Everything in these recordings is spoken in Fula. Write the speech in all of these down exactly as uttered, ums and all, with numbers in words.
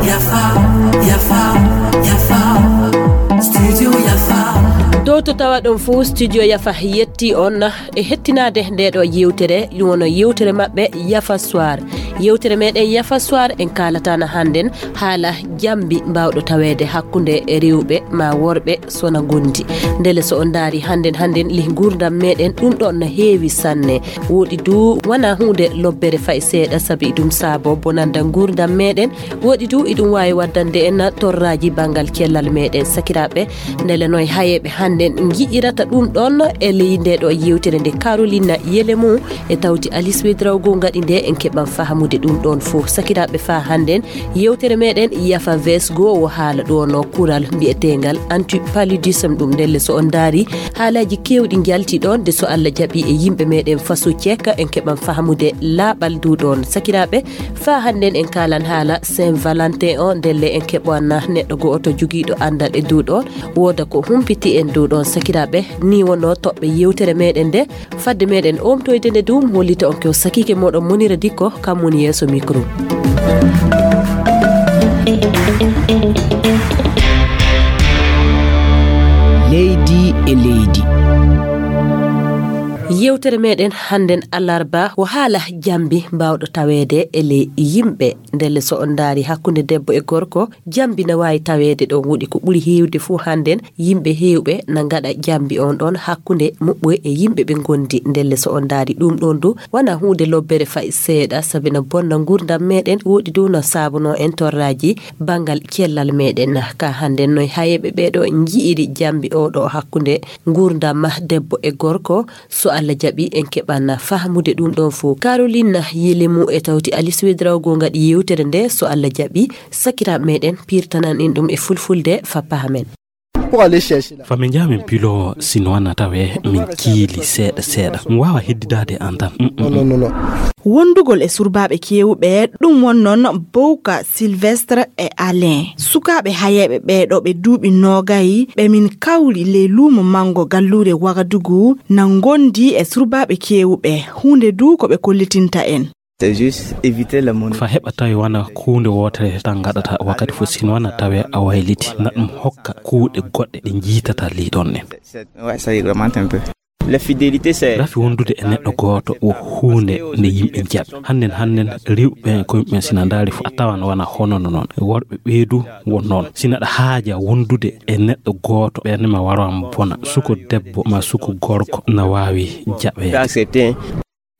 Yafa, yafa, yafa. Studio yafa. Dow to tawaɗon fuu, studio yafa yetti on e hettinaade nde ɗo yewtere. Ɗum woni yewtere maɓɓe, yafa soir. Yewtere meɗen yafa soir, en kaalata na hannden haala jambi mbawɗo taweede hakkunde rewɓe ma worɓe sona gondi. Ndele so on ndaari hannden, hannden lih nguurndam meɗen, ɗum ɗon na heewi sanne. Woɗi du wana huunde lobbere fay seeɗa, sabi ɗum saabo bonanda nguurndam meɗen. Woɗi du iɗum waawi waddande en torraaji banngal cellal meɗen. Sakiraaɓe, ndele noy hayeeɓe hannden ngi'irata ɗum ɗon e ley nde ɗo yewtere nde Carolina Yelemu e tawti Alice Wedraogo ngaɗi nde, en keɓan fahamude ɗum ɗon fof. Sakiraaɓe, faa hannden yewtere meɗen yafa vesgo o haala ɗo no kural mbi'eteengal anti paludisme. Ɗum ndelle so on ndaari haalaaji keewɗi njalti ɗon, de so Allah jaɓi e yimɓe meɗen faso ceeka, en keɓan fahamude laaɓal du ɗon. Sakiraaɓe, faa hannden en kaalan haala Saint Valentin o, ndelle en keɓan neɗɗo go'oto jogiiɗo anndal e du ɗon, wooda ko humpiti en du ɗon. Sakiraaɓe, ni wonno toɓɓe yewtere meɗen nde. Fadde meɗen omtoyde nde dum, hollita on ko sakiike moɗon Monira Dikko, kam woni yeeso micro. Leydi e leydi. Yewtere meɗen hannden alarba o haala jambi mbawɗo taweede e ley yimɓe. Ndelle so on ndaari hakkunde debbo e gorko, jambi na waawi taweede ɗon. Woɗi ko ɓuri heewde fuu hannden, yimɓe heewɓe na ngaɗa jambi on ɗon hakkunde muɓɓoy e yimɓe ɓe ngondi. Ndelle so on ndaari ɗum ɗon du, wana huunde lobbere fay seeɗa, sabi na bonna nguurndam meɗen, woɗi du na saabuno en torraaji banngal cellal meɗen. Ka hannden noy hayeeɓe ɓeeɗo nji'iri jambi o ɗo hakkunde nguurndam debbo e gorko? So Allah jaɓi, en keɓan fahmude ɗum ɗon fof. Caroline Yelemu e tawti Alice Wedraogo ngaɗi yewtere nde. So Allah jaɓi, sakiraaɓe meɗen pirtanan en ɗum e fulfulde fa pahamen. Fa min njaha min pilo sinwana tawe min kiili seeɗa seeɗa. Mi waawa heddidaade an tan. Mm, mm, mm. Wondugol e surbaaɓe keewɓe, ɗum won noon Bowka Sylvestre e Alain. Sukaaɓe hayeeɓe ɓee ɗo ɓe duuɓi noogay, ɓe min kawri ley luumo manngo galluure Wagadugu, na ngondi e surbaaɓe keewɓe. Huunde du ko ɓe kollitinta en. C'est juste éviter le monde. Fa heɓa tawi wana kuunde wootere tan ngaɗata wakkati fof, sinwana tawe a wayliti, na ɗum hokka kuuɗe goɗɗe ɗe njiitata ley ɗon ɗen. C'est, ouais, ça augmente un peu. La fidélité, c'est rafi wondude e neɗɗo gooto wo huunde nde yimɓe njaɓi. Hannden, hannden rewɓe ɓen ko yimɓe sina ndaari fof a tawan wana hono no noon. Worɓe ɓee du won noon. Sina aɗa haaja wondude e neɗɗo gooto, ɓernde ma wara ma bona. Suko debbo ma suko gorko na waawi jaɓeede. Accepter.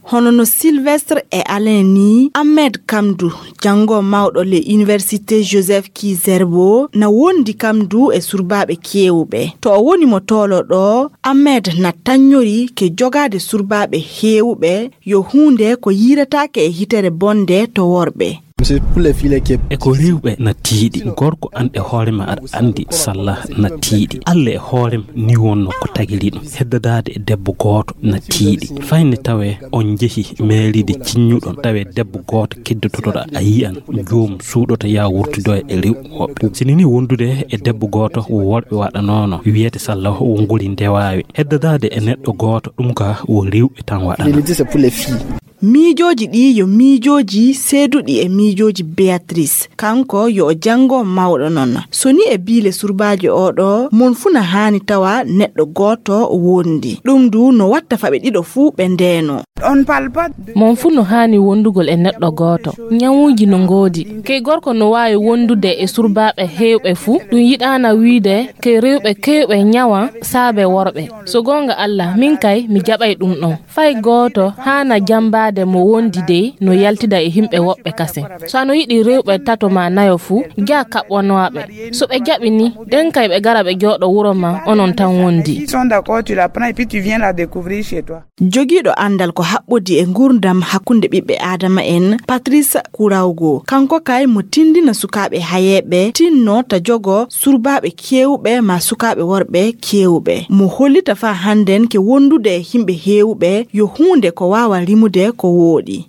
Hono no Sylvestre e Alain ni, Ahmed Kamdu, janngo mawɗo le Université Joseph Kizerbo, na wondi kam du e surbaaɓe keewɓe. To o woni mo toolo ɗo, Ahmed na tannyori ke jogaade surbaaɓe heewɓe yo huunde ko yiirataake e hitere bonde to worɓe. C'est pour les filles qui est E ko rewɓe na tiiɗi. Gorko an e hoore ma aɗa anndi salla na tiiɗi. Alla e hoorem ni wonno ko tagiri ɗum. Heddadaade e debbo gooto na tiiɗi. Fayne tawe on njehi meeriide cinñuɗon, tawe debbo gooto keddototoɗa, a yiyan joom suuɗoto ya wurtido e rewɓe woɓɓe. Sini ni wondude e debbo gooto wo worɓe waɗanono wiyete salla wo nguri ndewawe. Heddadaade e neɗɗo gooto ɗum ka wo rewɓe tan waɗana. Fidélité, c'est pour les filles. Miijooji ɗi yo miijooji seeduɗi e miijooji Beatrice. Kanko yo o janngo mawɗo non. So ni e biile surbaajo o ɗo, mon fuu na haani tawa neɗɗo gooto wondi. Ɗum du no watta fa ɓe ɗiɗo fuu ɓe ndeeno. On parle pas de Mon fuu no haani wondugol e neɗɗo gooto. Ñawuuji no ngoodi. Key gorko no waawi wondude e surbaaɓe heewɓe fuu. Ɗum yiɗaana wiide key rewɓe keewɓe ñawa saabe worɓe. So goonga Alla, min kay mi jaɓay ɗum ɗon. Fay gooto haana jambaade mo wondi dey no yaltida e himɓe woɓɓe kasen. So ano yiɗi rewɓe tato ma nayo fuu, jaa kaɓɓonooɓe. So ɓe jaɓi ni, ɗen kay ɓe gara ɓe jooɗo wuro ma, onon tan wondi. Ils sont d'accord, tu la prends et puis tu viens la découvrir chez toi. Jogiiɗo anndal ko haɓɓodi e nguurndam hakkunde ɓiɓɓe Aadama en, Patrice Kurawgo. Kanko kay mo tindina sukaaɓe hayeeɓe, tinno ta jogo surbaaɓe keewɓe ma sukaaɓe worɓe keewɓe. Mo hollita faa hannden ke wondude e himɓe heewɓe yo huunde ko waawa rimude ko wooɗi.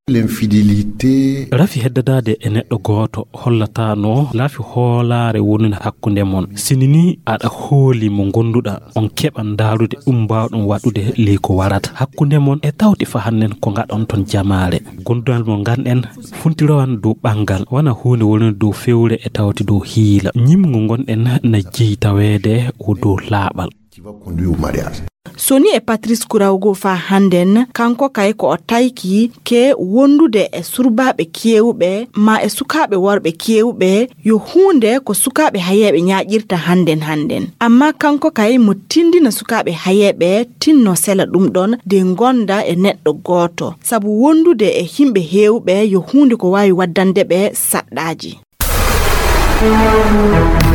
L'infidélité. Rafi heddadaade e neɗɗo gooto hollataano rafi hoolaare wonunde hakkunde mon. Sini ni aɗa hooli mo ngonduɗa, on keɓa ndaarude ɗum mbaawɗon waɗude ley ko warata hakkunde mon e tawti fa hannden ko ngaɗon ton jamaare. Gondunal mo nganɗen funtirowan dow ɓanngal, wana huunde wonunde dow fewre e tawti dow hiila. Ñimngu ngonɗen na jeyi taweede o dow laaɓal. Qui va conduire au mariage. Soni e Patrice Kourawgo fa hannden, kanko kay ko o tayki ke wondude e surbaaɓe keewɓe ma e sukaaɓe worɓe keewɓe, yo huunde ko sukaaɓe hayeeɓe ñaaƴirta hannden hannden. Amma kanko kay mo tindina sukaaɓe hayeeɓe tinno sela ɗum ɗon de ngonda e neɗɗo gooto. Sabu wondude e himɓe heewɓe yo huunde ko waawi waddande ɓe saɗɗaaji.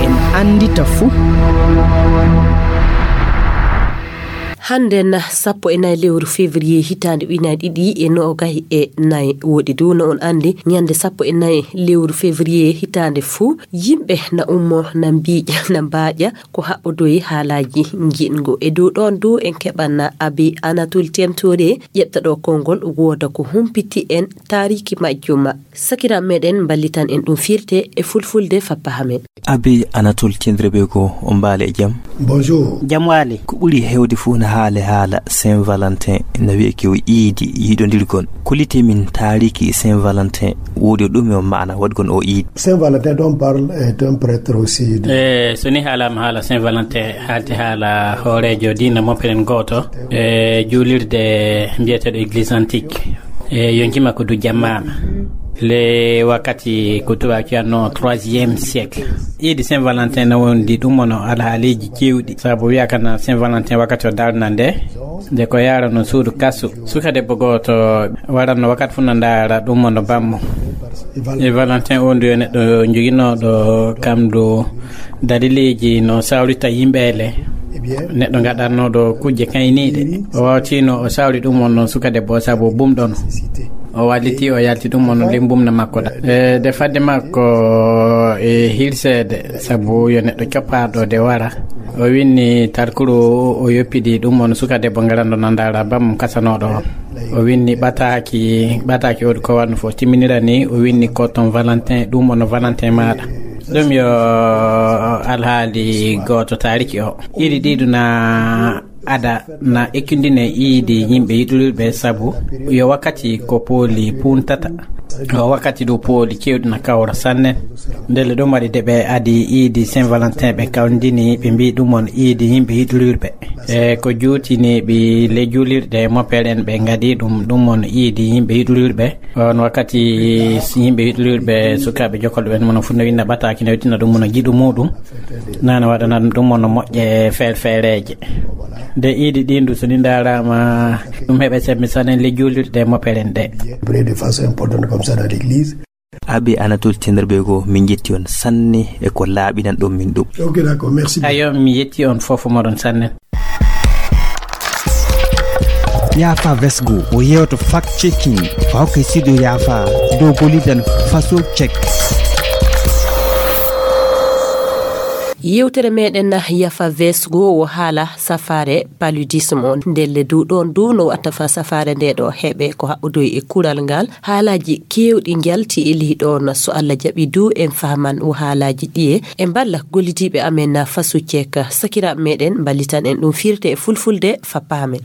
En anndita fuu. Hannden sappo e nayi lewru février hitaande ujunaaji ɗiɗi e noogay e nayi woɗi du no on anndi ñande sappo e nayi lewru février hitaande fuu yimɓe na ummo na mbiiƴa na mbaaƴa ko haɓɓodoyi haalaaji njiɗngo e dow ɗoon du en keɓana abi anatol temtore ƴeɓta ɗo konngol wooda ko humpiti en taariki majjuma. Sakiraaɓe meɗen mballitan en ɗum firte e fulfulde fappa hamen. Abi anatol tindiriɓe ko on mbaali e jam. Bonjour. Jam waali. Ko ɓuri hewde fof na haale haala saint valentin na wiye ko iidi yiɗondirgol. Kollite min taariki saint valentin woodi ɗum e maana waɗgon o iidi. Saint valentin dont parle est un prêtre aussi de... E so ni haalaama haala saint valentin haalti haala hooreejo diina mopperen gooto e juulirde mbiyeteeɗo église antique. E yonki makko du jammaama le wakkati ko tubaako wiyatno troisième siècle. Iidi saint valentin na wondi ɗum wono alhaaliiji cewɗi sabu wiyakana saint valentin wakkati o darna nde nde ko yarano suudu kasu suka debbo gooto waranno wakkati fof no ndaara ɗum wono bammo. E valentin on du yo neɗɗo joginooɗo kam du dalileeji no sawrita yimɓe ele neɗɗo gaɗatnooɗo kujje kayniiɗe o wawtino o sawri ɗum on noon suka debbo o sabu bumɗono o walliti o yalti ɗum on ley bumna makko ɗa e de fadde makko e hirseede sabu yo neɗɗo coppaɗo de wara o winni tarkuru o yoppidi ɗum on suka debbo ngaranɗo nandaara bam kasanooɗo on o winni ɓataaki ɓataaki o ko wanno fof timminira ni o winni ko ton valentin ɗum on valentin maɗa. Ɗum yo alhaali gooto taariki o. Iidi ɗiɗo na ada na ekkindine iidi yimɓe yiɗurirɓe sabu yo wakkati ko pooli puuntata. O wakkati ɗo pooli kewɗi na kawra sanne. Ndelle ɗum waɗi de ɓe adi iidi saint valentin ɓe kawndini ɓe mbi ɗum on iidi yimɓe yiɗurirɓe e ko juutini ɓi le juulirɗe mopel en ɓe ngadi ɗum ɗum on iidi yimɓe yiɗurirɓe. On wakkati yimɓe yiɗlirɓe sukaaɓe jokolɓe ɓen mono fof no winna ɓataaki no wittina ɗum mono jiɗu muɗum nana waɗana ɗum mono moƴƴe feerfeereeje. Nde iidi ɗin du so ni ndaaraama ɗum heɓe sembe sanen le juulirɗe moperen ɗe. Prier de façon importante comme ça dans l'église. Abbé Anatole Tenderbe ko min jetti on sanne e ko laaɓinan ɗum min ɗum. Ok, d'accord, merci. Ayo mi yetti on fof moɗon sanne. Yaafa Vesgo o yewto fact checking o hokka sido yaafa dow golidan faso check. Yewtere meɗen yafa vesgo o haala safaare paludisme on ndelle du ɗon du no watta fa safaare nde ɗo heɓe ko haɓɓodoy e kural ngal. Haalaji kewɗi njalti e ley ɗon so allah jaɓi du en fahman o haalaji ɗiye e mballa gollidiɓe amen na faso check. Sakiraɓe meɗen mballitan en ɗum firte e fulfulde fappa amen.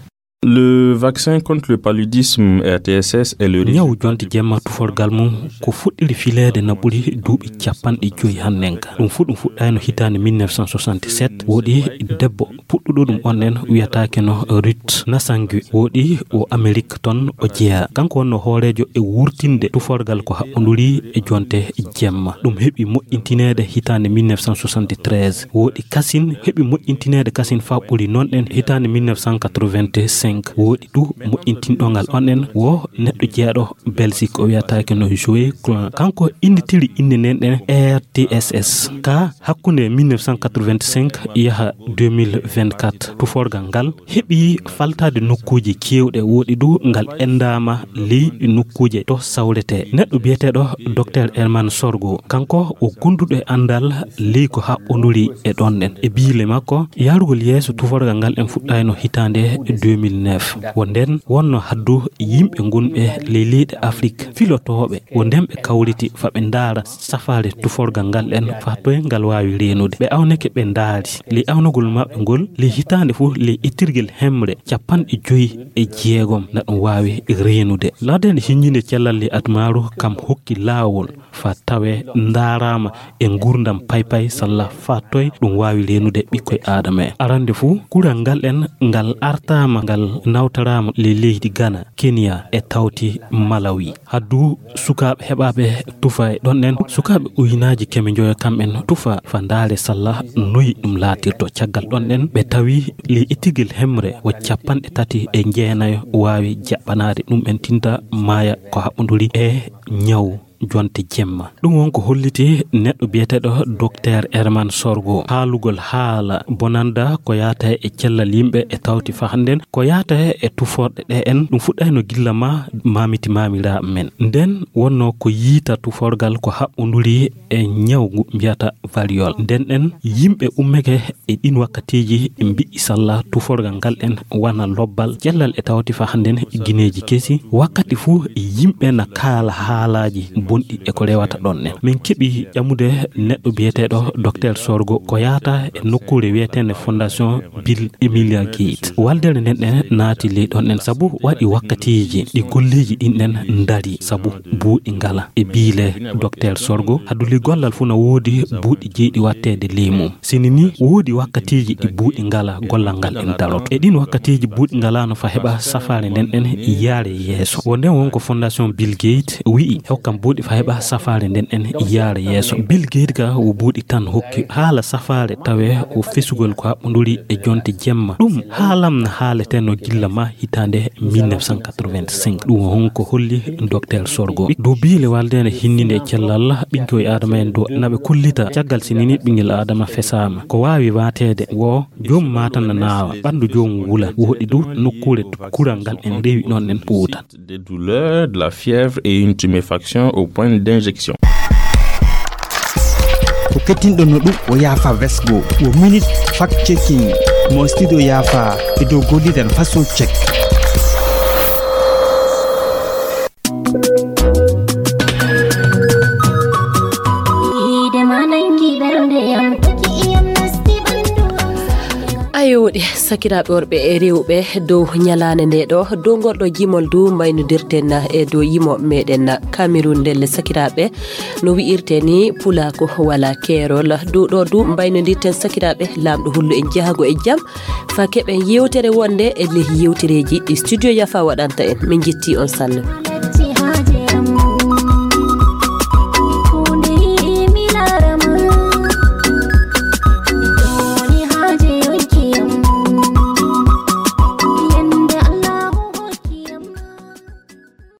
Le vaccin contre le paludisme R T S S est le ñaw jonti jemma tuforgal mum ko fuɗɗiri fileede na ɓuri duuɓi capanɗe joyi hannenka. Ɗum fu ɗum fuɗɗayno hitaande mille neuf cent soixante-sept woɗi debbo puɗɗuɗo ɗum on en wiyataake no Ruth Nasangue woɗi o Amerik ton o jeyaa. Kanko wonno hooreejo e wurtinde tuforgal ko haɓɓonduri e jonte jemma. Ɗum heɓi moƴƴintineede hitaande mille neuf cent soixante-treize woɗi kasin heɓi moƴƴintineede kasin faa ɓuri noon ɗen hitaande mille neuf cent quatre-vingt-cinq woɗi du moƴƴintinɗo ngal on en wo neɗɗo jeeɗo Belgique o wiyataake no Joe Clan kanko innitiri innde nden ɗen R T S S ka hakkunde mille neuf cent quatre-vingt-cinq yaha deux mille vingt-quatre tuforgal ngal heɓi faltaade nokkuuji keewɗe woɗi du ngal endaama ley nokkuuje to sawretee. Neɗɗo biyeteeɗo Docteur Herman Sorgo kanko o gonduɗo e anndal ley ko haɓɓonduri e ɗon ɗen. E biile makko yahrugol yeeso tuforgal ngal en fuɗɗayno hitaande deux mille Neuf. Wo nden wonno haddu yimɓe gonɓe ley leyɗe Afrik filotooɓe, wo nden ɓe kawriti fa ɓe ndaara safaare tuforgal ngal en fa toye ngal waawi reenude. Ɓe awnake, ɓe ndaari ley awnagol maɓɓe ngol, ley hitaande fuu ley ittirgel hemre capanɗe joyi e jeegom na ɗum waawi reenude. Laade nde hinjinde cellal ley admaaru kam hokki laawol fa tawe ndaaraama e nguurndam paypay salla fa toye ɗum waawi reenude ɓikkoy Aadama en. Arande fuu, kural ngal en ngal artaama, ngal nawtaraama ley leydi Ghana, Kenya e tawti Malawi. Haddu sukaaɓe heɓaaɓe tufa e ɗon en, sukaaɓe ujunaaji keme njoyo kam en tufa fa ndaare salla noyi ɗum laatirto. Caggal ɗon en, ɓe tawi ley ittirgel hemre wo capanɗe tati e jeenayo waawi jaɓɓanaade ɗum en tinta maaya ko haɓɓonduri e ñaw jonte jemma. Ɗum won ko holliti neɗɗo biyeteeɗo Dokteer Herman Sorgo haalugol haala bonanda ko yaata e cellal yimɓe e tawti fa hannden ko yaata e tuforɗe ɗe en. Ɗum fuɗɗayno gilla ma maamiti maamiraaɓe men. Nden wonno ko yiita tuforgal ko haɓɓonduri e ñaw ngu mbiyata variole. Nden en yimɓe ummeke e ɗin wakkatiiji mbi'i salla tuforgal ngal en wana lobbal cellal e tawti fa hannden gineeji kesi. Wakkati fuu yimɓe na kaala haalaaji bonɗi e ko rewata ɗon en. Min keɓi ƴamude neɗɗo biyeteeɗo Dokteer Sorgo ko yaata e nokkuure wiyeteende Fondation Bill Emilia Gates. Waldere nden ɗen naati ley ɗon en sabu waɗi wakkatiiji ɗi golleeji ɗin ɗen ndari sabu buuɗi ngala e biile Dokteer Sorgo. Haddu ley gollal fuu na woodi buuɗi jeyɗi watteede ley mum. Sini ni woodi wakkatiiji ɗi buuɗi ngala gollal ngal en daroto. E ɗin wakkatiiji buuɗi ngalaano fa heɓa safaare nden ɗen yaare yeeso. Wo nden won ko Fondation Bill Gates wi'i hokkam buuɗi fa heɓa safaare nden ɗen yaare yeeso. Bill Gates ka wo buuɗi tan hokki haala safaare tawe wo fesugol ko haɓɓonduri e jonte jemma. Ɗum haalam na haaletenno gilla ma hitaande mille neuf cent quatre-vingt-cinq. Ɗum won ko holli Dokteer Sorgo. Dow biile waldeende hinninde e cellal ɓiŋkoy Aadama en dow naɓe kollita caggal sinini ɓiŋngel Aadama fesaama. Ko waawi waateede wo joom maatan na naawa, ɓanndu joom wulan, woɗi du nokkuure kural ngal en rewi ɗon en ɓuuta. Des douleurs, de la fièvre et une tuméfaction au point d'injection. Ko kettinɗon no ɗum o yaafa vesgo, o minute fact checking mo studio yaafa e dow gollidan façon check. Ayo ɗi sakiraaɓe worɓe e rewɓe, dow ñalaande nde ɗo dow ngol ɗo jimol du mbaynodirten e dow yimo meɗen Cameroun ndelle sakiraaɓe, no wi'irte ni pulako wala keerol. Dow ɗo du mbaynodirten sakiraaɓe laamɗo hullu en jahago e jam fa keɓen yewtere wonde e leh yewtereeji ɗi studio yafa waɗanta en. Min jetti on sanne.